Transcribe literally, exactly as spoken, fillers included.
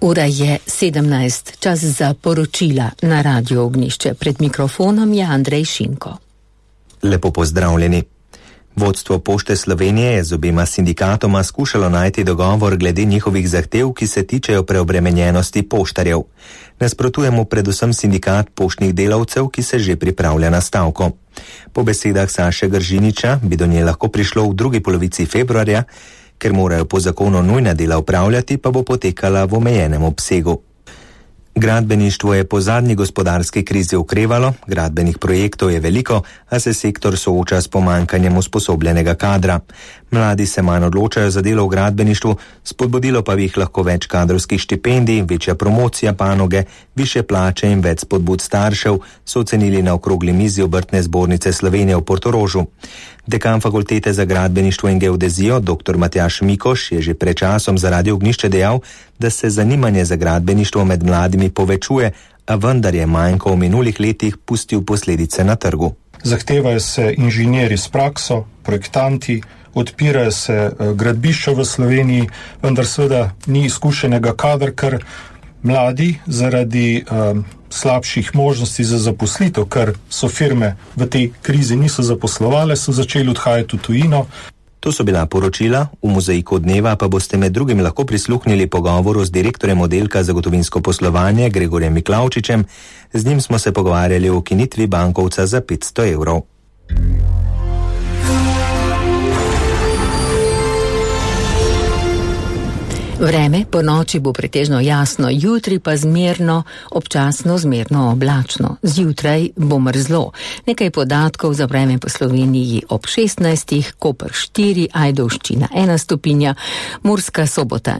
Ura je sedemnajst, čas za poročila na Radio Ognjišče. Pred mikrofonom je Andrej Šinko. Lepo pozdravljeni. Vodstvo Pošte Slovenije je z obema sindikatoma skušalo najti dogovor glede njihovih zahtev, ki se tičejo preobremenjenosti poštarjev. Nasprotuje mu predvsem sindikat poštnih delavcev, ki se že pripravlja na stavko. Po besedah Saše Gržiniča bi do nje lahko prišlo v drugi polovici februarja, ker morajo po zakonu nujna dela upravljati, pa bo potekala v omejenem obsegu. Gradbeništvo je po zadnji gospodarski krizi okrevalo, gradbenih projektov je veliko, a se sektor sooča s pomanjkanjem usposobljenega kadra. Mladi se manj odločajo za delo v gradbeništvu, spodbudilo pa bi jih lahko več kadrovskih štipendij, večja promocija panoge, više plače in več spodbud staršev, so ocenili na okrogli mizi Obrtne zbornice Slovenije v Portorožu. Dekan fakultete za gradbeništvo in geodezijo, dr. Matjaž Mikoš, je že pred časom za Radio Ognjišče dejal, da se zanimanje za gradbeništvo med mladimi povečuje, a vendar je manjko v minulih letih pustil posledice na trgu. Zahtevajo se inženirji s prakso, projektanti, odpirajo se gradbišča v Sloveniji, vendar seveda ni izkušenega kadra, ker mladi zaradi um, slabših možnosti za zaposlitev, ker so firme v tej krizi niso zaposlovale, so začeli odhajati v tujino. To so bila poročila, v mozaiku dneva pa boste med drugim lahko prisluhnili pogovoru z direktorjem oddelka za gotovinsko poslovanje Gregorjem Miklavčičem. Z njim smo se pogovarjali o ukinitvi bankovca za petsto evrov. Vreme po noči bo pretežno jasno, jutri pa zmerno, občasno zmerno oblačno. Zjutraj bo mrzlo. Nekaj podatkov za vreme po Sloveniji ob šestnajstih, Koper štiri, Ajdovščina ena stopinja, Murska Sobota